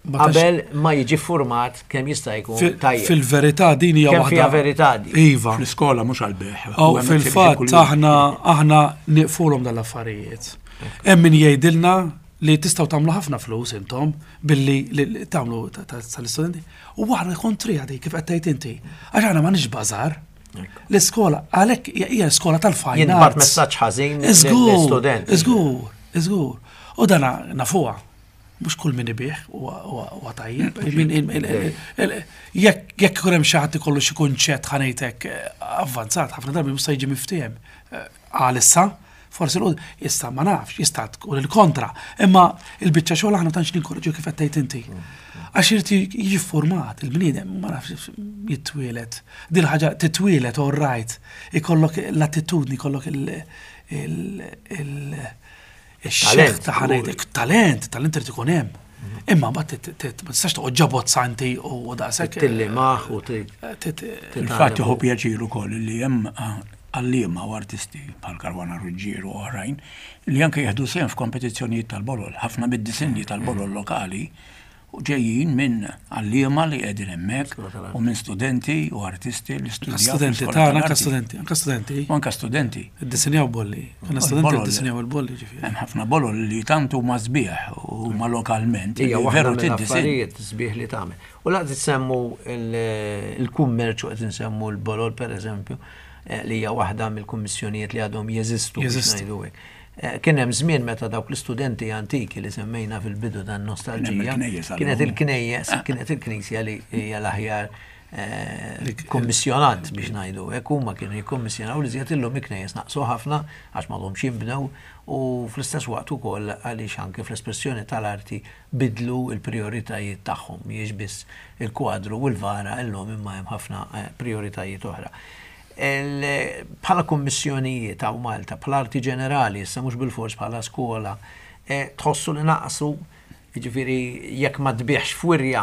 qabel ma jiġi format kemm jista' jkun tajjeb. Fil-verità din hija waħda. Kemm fiha verità din. Iva. Fl-iskola mhux għall-bejgħ. Oh, fil-fatt aħna aħna nieqfulhom dal-affarijiet. Hemm min jgħidilna li tistgħu tagħmlu ħafna flus intom billi tagħmlu tal-istudenti. U aħna kontrija dik kif qed tgħid inti. Għax aħna m'għandniex bażar. L-iskola għalhekk hija l-iskola tal-fine arts. Jien messaġġ ħażin lill-istudent. Żgur, żgur. U dana nafuha. Mhux kull min ibigħ huwa tajjeb. Jekk ikun hemm xi ħadd ikollu xi kunċett ħa ngħidlek avvanzat, ħafna drabi mhux se jiġi miftiehem. Għalissa, forsi l jista' ma nafx, jista' tkun il-kontra. Imma il-biċċa xogħol aħna tantx ninkoraġġu kif qed tgħid inti. Għax irid jiġi format il-bniedem, ma nafx jitwieled. Din ħaġa titwieled all right, ikollok l-attitudni, ikollok il- Ix-xeħ ta' ħanejtek, talent, talent irid ikun hemm. Imma mbagħad ma tistax toqgħod ġabozza inti u daqshekk. Tilli maħ u Il-fatt jieħu pjaċir ukoll li hemm għalliema u artisti bħal Caruana Ruggiero u oħrajn li anke jieħdu sehem f'kompetizzjonijiet tal-bolol. Ħafna mid-disinji tal-bolol lokali u ġejjin minn għalliema li qegħdin hemmhekk u minn studenti u artisti li studjaw. Studenti tagħna, anke studenti, anke studenti. U anke studenti. Iddisinjaw bolli. Għandna studenti ddisinjaw il-bolli ġifieri. Hemm ħafna bolol li tant huma sbieħ u huma lokalment. Hija waħda mill-affarijiet sbieħ li tagħmel. U laqt semmu il-kummerċ u qed insemmu l-bolol pereżempju eh, li hija waħda mill-kummissjonijiet li għadhom jeżistu. Jeżistu. Kien hemm żmien meta dawk l-istudenti antiki li semmejna fil-bidu tan-nostalġija, kienet il-knejjes, kienet il-knisja li hija l-aħjar eh, kummissjonant biex ngħidu hekk huma kienu jikkummissjonaw li żjed illum il-knejjes naqsu ħafna għax m'għadhomx jinbnew u fl-istess waqt ukoll għaliex anke fl-espressjoni tal-arti bidlu l-prijoritajiet tagħhom mhijiex biss il-kwadru u l-vara illum imma hemm ħafna eh, prijoritajiet oħra. Bħala kummissjonijiet hawn Malta, bħala arti ġenerali, issa mhux bilfors bħala skola, eh, tħossu li naqsu, jiġifieri jekk ma tbieħx f'wirja,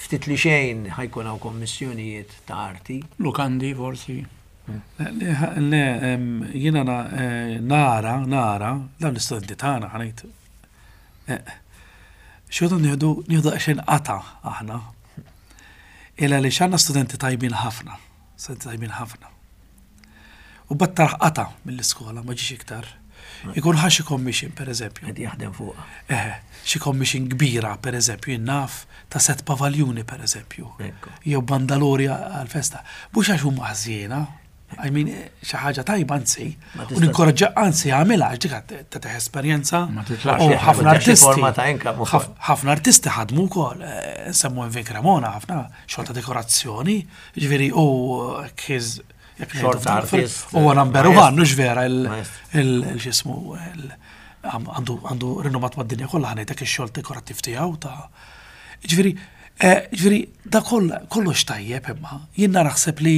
ftit li xejn ħajkun hawn kommissjonijiet ta' arti. Lukandi forsi. Le, jiena eh, nara, nara, dawn l-istudenti tagħna ħanejt. Eh, xi nieħdu nieħdu daqsxejn qata' aħna. Illa li x'għandna studenti tajbin ħafna. Studenti tajbin ħafna. U battar qata' mill-iskola ma ġiex iktar. Ikun ħa xi commission per eżempju. Qed jaħdem fuqha. Eh, xi commission kbira per eżempju, jien naf ta' set pavaljuni per eżempju. Jew bandalori għal-festa. Mhux għax huma ħżiena, I mean, xi ħaġa tajba anzi, u ninkoraġġa anzi għamilha għax dik tagħtih esperjenza. U ħafna artisti. Ħafna artisti ħadmu wkoll, eh, nsemmu Envin Cremona, ħafna xogħol ta' dekorazzjoni, Ġifieri u his Xorta artist. Huwa number one, mhux vera il-xismu għandu rinomat mad-dinja kollha ħanejtek ix-xogħol dekorattiv tiegħu ta' Ġifieri, eh, ġifieri da kollox tajjeb imma jien naħseb li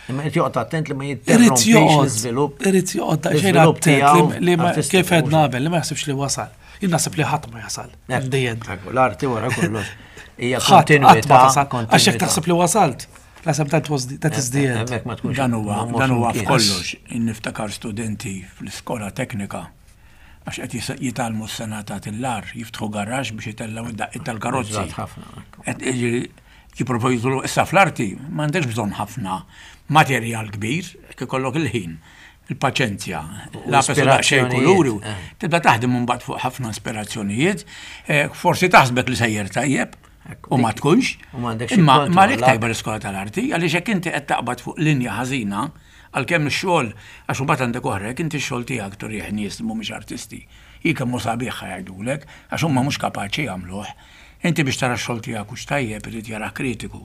Imma irid joqgħod attent li ma jitterrompix l-iżvilupp. Irid joqgħod daqsxejn attent li kif qed nagħmel li ma jaħsibx li wasal. Jien naħseb li ħadd ma jasal. Dejjem. L-arti wara kollox. Hija kontinwità. Għax jekk taħseb li wasalt. Naħseb that was that is the end. Dan huwa dan huwa f'kollox. Niftakar studenti fl-iskola teknika għax qed jitgħallmu s-sena ta' tillar, jiftħu garax biex itellgħu id-daqqiet tal-karozzi. Jipprovaw jidħlu issa fl-arti m'għandekx bżonn ħafna materjal kbir, jekk ikollok il-ħin il-paċenzja, lapes u daqsxejn kuluri, eh. tibda taħdem mbagħad fuq ħafna ispirazzjonijiet, eh, forsi taħsbek li sejjer tajjeb u ma tkunx. Imma ma għalhekk tajba l-iskola tal-arti, għaliex hekk inti qed taqbad fuq linja ħażina, għalkemm ix-xogħol għax imbagħad għandek oħra, jekk inti x-xogħol tiegħek turih nies li mhumiex artisti, hi kemm hu sabiħ jgħidulek, għax huma mhux kapaċi jagħmluh. Inti biex tara x-xogħol tiegħek hux tajjeb irid jarah kritiku.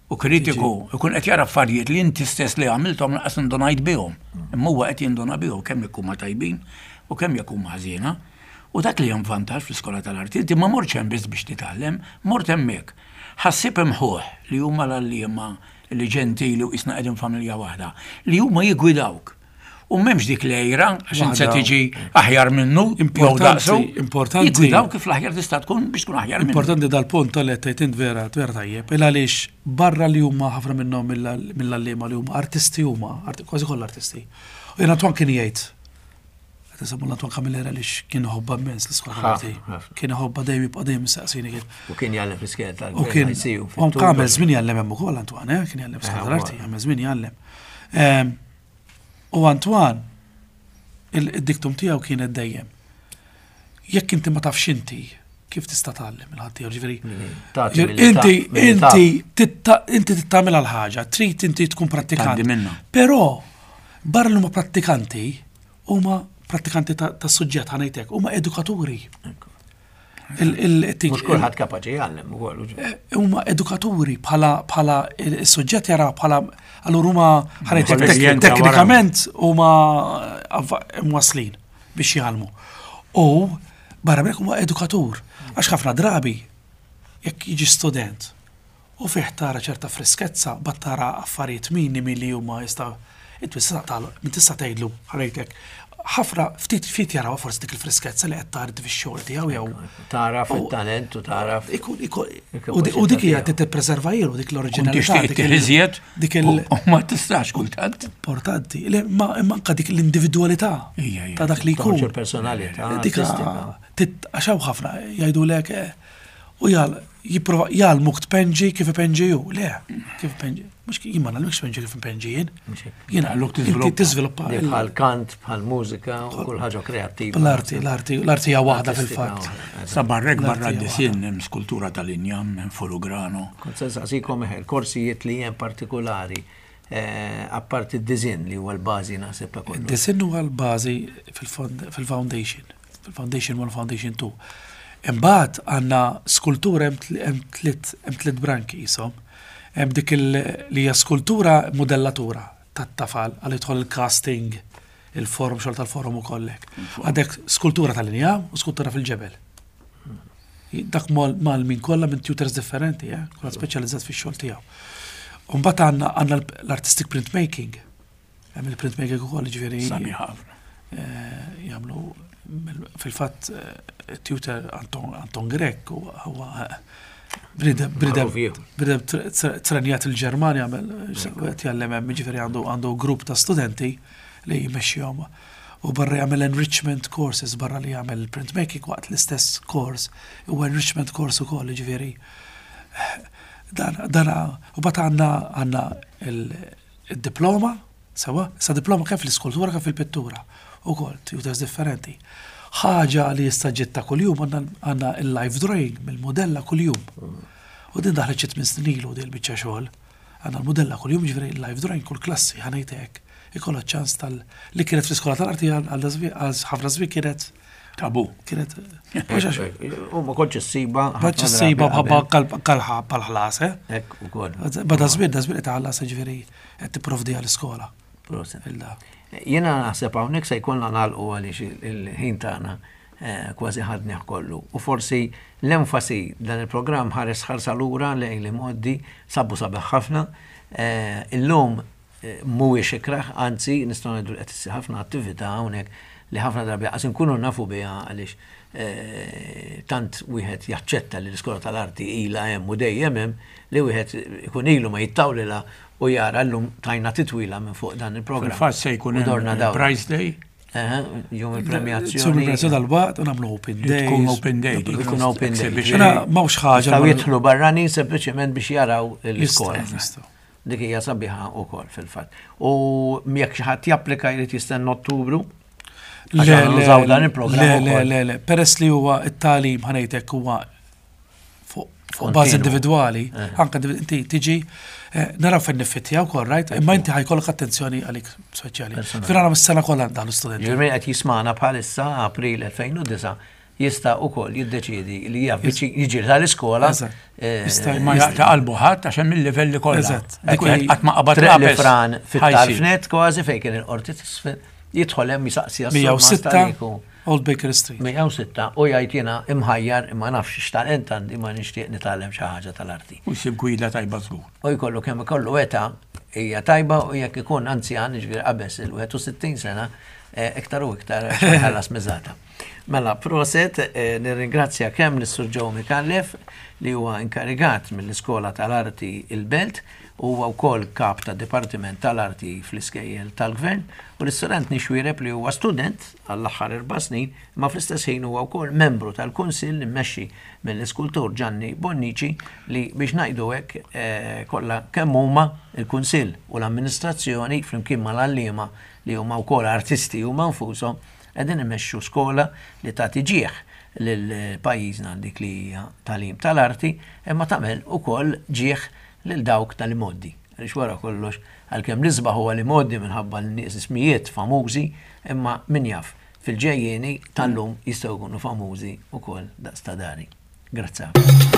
U kritiku ikun qed jara affarijiet li inti stess li għamilthom lanqas indunajt bihom. Imma huwa qed jinduna bihom kemm jekk huma tajbin u kemm jekk huma ħżiena. U dak li hemm vantaġġ fl-iskola tal-arti, inti ma mortx hemm biss biex titgħallem, mort hemmhekk. Ħassib imħuħ li huma l-għalliema li ġentili u qisna qegħdin familja waħda, li huma jiggwidawk. U m'hemmx dik l-għira għax int se tiġi aħjar minnu jew daqsu. Importanti. Jiggwidaw kif l-aħjar tista' tkun biex tkun aħjar minnu. Importanti dal-punt li qed tgħid int vera vera tajjeb. Il għaliex barra li huma ħafna minnhom mill-għalliema li huma artisti huma, kważi kollha artisti. U jien Antoine kien jgħid, qed insemmu l-Antoine Camilleri għaliex kien iħobbha immens l-iskola tal-arti. Kien iħobbha dejjem jibqa' dejjem jistaqsini kien. U kien jgħallem fl-iskejjel tal-arti. U kien għamel żmien jgħallem hemm ukoll Antoine, eh? kien jgħallem fl-iskola tal-arti, għamel żmien jgħallem. Ehm, u Antoine, id-diktum tiegħu kienet dejjem. Jekk inti ma tafx inti, kif tista' tgħallem il-ħaddieħor, ġifieri. Inti inti inti tittamel għal ħaġa, trid inti tkun prattikant. Però barra li huma prattikanti, huma prattikanti tas-suġġett ħanejtek, huma edukaturi. Mhux kulħadd kapaċi jgħallem ukoll. Eh, huma edukaturi bħala bħala is-suġġett jara bħala allura huma ħanejtek teknikament huma mwaslin biex jgħallmu. U barra minn huma edukatur għax ħafna drabi jekk jiġi student U fih tara ċerta friskezza, mbagħad tara affarijiet minimi li huma jistgħu inti tista' tagħlaq, min tista' tgħidlu, ħa ngħidlek, ħafna ftit ftit jarawha forsi dik il-friskezza li qed tara inti fix-xogħol tiegħu jew. Tagħraf it-talent u tagħraf. Ikun ikun u dik hija trid tippreserva ilu dik l-oriġinalità. Tixtieq ittih iżjed dik il u ma tistax kultant. Importanti, imma anke dik l-individwalità ta' dak li jkun. Il-personalità. Dik għax hawn ħafna jgħidulek eh, U jipprova jgħallmuk tpenġi kif ipenġi hu. Le, kif ipenġi. Mhux jien ma nagħmlux tpenġi kif ipenġi jien. Jien għalluk tiżviluppa. Tiżviluppa. Bħal kant, bħal mużika u kull ħaġa kreattiva. L-arti, l-arti, l-arti hija waħda fil-fatt. Sa barrek barra d-disin hemm skultura tal-injam, hemm folugrano. Kont se nsaqsikom eħe, l-korsijiet li hemm partikolari eh, apparti d-disin li huwa l-bażi naħseb ta' kollox. Id-disin huwa l-bażi fil-foundation. Foundation 1, Foundation 2. Imbagħad għandna skultura hemm tliet branki qishom. Hemm dik li hija skultura modellatura tat-tafal għal jidħol il-casting, il-forum, xogħol tal-forum ukoll hekk. Għandek skultura tal-injam u skultura fil-ġebel. Dak mal min kollha minn tutors differenti, eh, kollha speċjalizzat fix-xogħol tiegħu. U mbagħad għandna l-artistic printmaking. Hemm il-printmaking ukoll, ġifieri. Sabiħ ħafna. Eh, jagħmlu fil-fatt eh, tutor Anton, Anton Grek huwa eh, bniedem bniedem trenjat il-Ġermanja qed jgħallem hemm ġifieri għandu għandu grupp ta' studenti li jmexxihom u barra jagħmel enrichment courses barra li jagħmel printmaking waqt l-istess course u enrichment course ukoll ġifieri dan dan u bat għandna għandna Id-diploma, sewwa, issa diploma kemm fl-iskultura kemm fil-pittura, ukoll tutors differenti. Ħaġa li issa ġiet ta' kuljum għandna il-life drawing mill-mudella kuljum. U din daħlet xi tmien snin ilu din il-biċċa xogħol. Għandna l-mudella kuljum ġifieri il-life drawing kull klassi ħa ngħid hekk ikollha ċ-ċans tal li kienet fl-iskola tal-arti għal ħafna żmien kienet Tabu. Kienet. U ma kontx issibha. Ma kontx issibha bħabba kalħa bħal-ħlas, eh? Hekk ukoll. Bada żmien, da żmien qed tħallas ġifieri qed tipprovdi għall-iskola. Proset. Jiena naħseb hawnhekk se jkollna nagħlqu għaliex il-ħin tagħna eh, kważi ħadnih kollu. U forsi l-enfasi dan il-programm ħares ħarsa lura lejn li mgħoddi sabu sabiħ ħafna. Eh, illum mhuwiex ikrah, anzi nistgħu ngħidu li qed issir ħafna attività hawnhekk li ħafna drabi lanqas inkunu nafu biha għaliex tant wieħed jaċċetta li l-iskola tal-arti ilha hemm u dejjem hemm li wieħed ikun ilu ma jittawlilha u jara llum tajna titwila minn fuq dan il-programm. Fil-fatt se jkun hemm Prize Day. Jum il-premjazzjoni. Jum il-premjazzjoni dal-waqt u nagħmlu open day. Tkun open day. Tkun open day. M'hawnx ħaġa. Jistgħu jidħlu barranin sempliċement biex jaraw l-iskola. Dik hija sabiħa wkoll fil-fatt. U jekk xi ħadd japplika jrid jistenna Ottubru? Le, le, dan il-programm. Le, le, le, le, peress li huwa it-tagħlim ħanejtek huwa fuq bażi individwali, eh. anke inti tiġi eh, naraw fejn niffitja wkoll, right? Imma inti ħajkollok attenzjoni għalik speċjali. Fir mis-sena kollha dawn l-istudenti. Ġifieri qed jismana bħalissa April 2009 jista' ukoll jiddeċiedi li jiġi tal-iskola. Eh, ma jaqta' qalbu ħadd għax hemm il-livelli kollha. Eżatt. Qatt ma qabad Triq li Fran fit-tarf net kważi fejn kien il-qorti tisfel jidħol hemm jisaqsi għas-6. Old Baker Street. 106 u jgħid jiena imħajjar imma nafx x'talent għandi ma nixtieq nitgħallem xi ħaġa tal-arti. U jsib gwida tajba żgur. U jkollu kemm ikollu età hija tajba u jekk ikun anzjan, jiġifieri qabeż il-61 sena, iktar u iktar ħallas miżata. Mela, proset, nirringrazzja kemm lis-Sur Joe Micallef li huwa inkarigat mill-Iskola tal-Arti il-Belt u huwa wkoll kap ta' Dipartiment tal-Arti fl-Iskejjel tal-Gvern, u lis-Sur Anthony Xuereb li huwa student għall-aħħar erba' snin imma fl-istess ħin huwa wkoll membru tal-Kunsill immexxi mill-iskultur Gianni Bonnici li biex ngħidu hekk kollha kemm huma l-Kunsill u l-amministrazzjoni flimkien mal-għalliema li huma wkoll artisti huma nfushom qegħdin imexxu skola li tagħti ġieħ lil pajjiżna għal dik li hija tagħlim tal-arti imma tagħmel ukoll ġieħ lil dawk tal-imgħoddi. Għaliex wara kollox, għalkemm l-isbaħ huwa l-imgħoddi minħabba l-nies ismijiet famużi, imma min jaf, fil-ġejjieni tal-lum jistgħu jkunu famużi wkoll daqs ta' dari. Grazzi ħafna.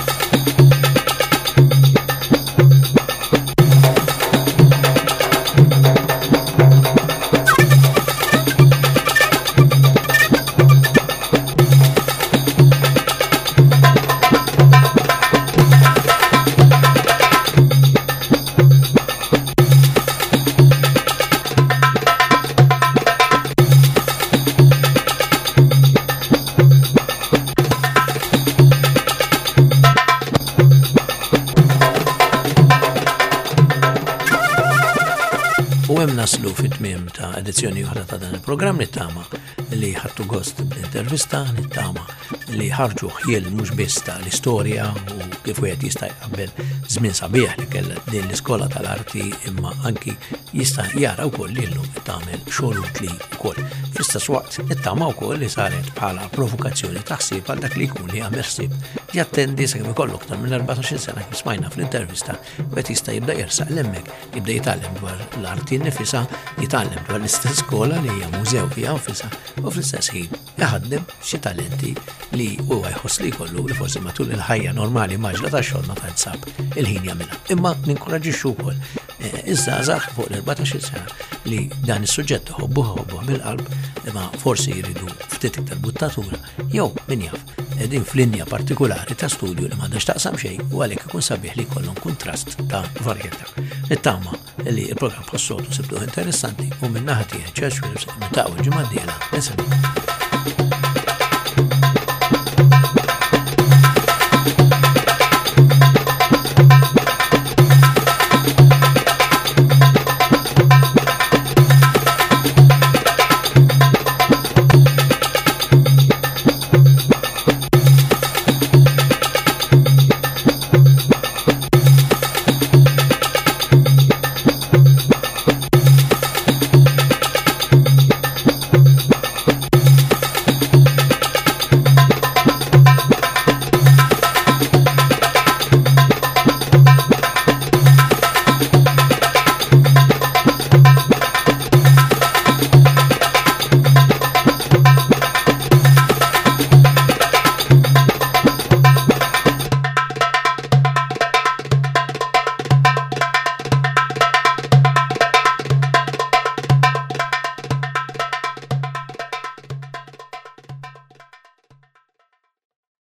U hemm naslu fit-tmiem ta' edizzjoni oħra ta' dan il-programm nittama li ħadtu gost bl-intervista, nittama li ħarġu ħjiel mhux biss ta' l-istorja u kif wieħed jista' jqabbel żmien sabiħ li kellha din l-iskola tal-arti imma anki jista' jara wkoll li llum qed tagħmel xogħol utli wkoll. Fl-istess waqt nittama wkoll li saret bħala provokazzjoni ta' ħsieb għal dak li jkun li jagħmel ħsieb jattendi sakemm ikollu aktar minn 14-il sena kif smajna fl-intervista wieħed jista' jibda jersaq l-hemmhekk, jibda jitgħallem dwar l-arti nnifisha, jitgħallem dwar l-istess skola li hija mużew fiha nfisha u fl-istess ħin iħaddem xi talenti li huwa jħoss li jkollu li forsi matul il-ħajja normali maġla ta' xogħol ma tant sab il-ħin jagħmilha. Imma ninkoraġixxu wkoll eh, iż-żgħażagħ fuq l-14 sena li dan is-suġġett iħobbuh iħobbuh bil-qalb imma forsi jridu ftit iktar buttatura jew min jaf qegħdin f'linja partikulari ta' studju li m'għandax taqsam xejn u għalhekk ikun sabiħ li jkollhom kuntrast ta' varjetà. Nittama li il-programm bħas-soltu sibtuh interessanti u minn naħa tiegħi Church Williams niltaqgħu l-ġimgħa d-dieħla.